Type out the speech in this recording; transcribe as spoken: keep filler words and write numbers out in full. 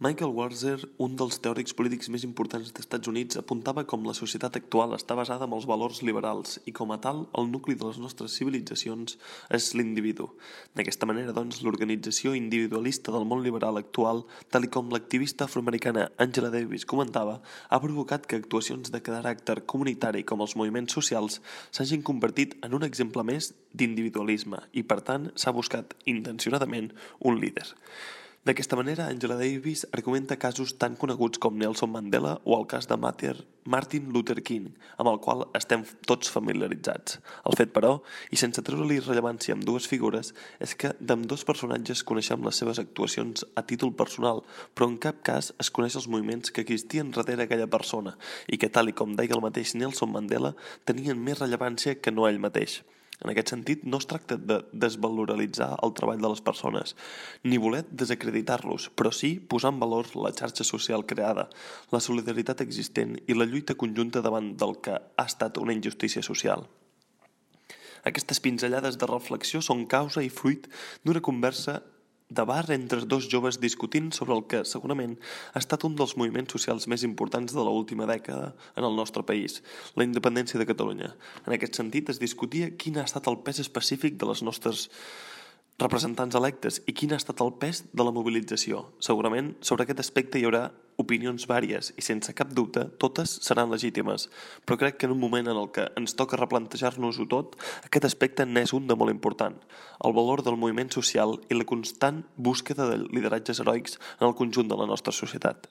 Michael Walzer, un dels teòrics polítics més importants dels Estats Units, apuntava com la societat actual està basada en els valors liberals i, com a tal, el nucli de les nostres civilitzacions és l'individu. D'aquesta manera, doncs, l'organització individualista del món liberal actual, tal i com l'activista afroamericana Angela Davis comentava, ha provocat que actuacions de caràcter comunitari com els moviments socials s'hagin convertit en un exemple més d'individualisme i, per tant, s'ha buscat intencionadament un líder. D'aquesta manera, Angela Davis argumenta casos tan coneguts com Nelson Mandela o el cas de Martin Luther King, amb el qual estem tots familiaritzats. El fet, però, i sense treure-li rellevància amb dues figures, és que d'ambdós personatges coneixem les seves actuacions a títol personal, però en cap cas es coneix els moviments que existien darrere aquella persona i que, tal i com deia el mateix Nelson Mandela, tenien més rellevància que no ell mateix. En aquest sentit, no es tracta de desvaloralitzar el treball de les persones, ni voler desacreditar-los, però sí posar en valor la xarxa social creada, la solidaritat existent i la lluita conjunta davant del que ha estat una injustícia social. Aquestes pinzellades de reflexió són causa i fruit d'una conversa de bar entre dos joves discutint sobre el que segurament ha estat un dels moviments socials més importants de l'última dècada en el nostre país, la independència de Catalunya. En aquest sentit, es discutia quin ha estat el pes específic de les nostres representants electes i quin ha estat el pes de la mobilització. Segurament, sobre aquest aspecte hi haurà opinions vàries i, sense cap dubte, totes seran legítimes, però crec que en un moment en el que ens toca replantejar-nos-ho tot, aquest aspecte n'és un de molt important, el valor del moviment social i la constant búsqueda de lideratges heroics en el conjunt de la nostra societat.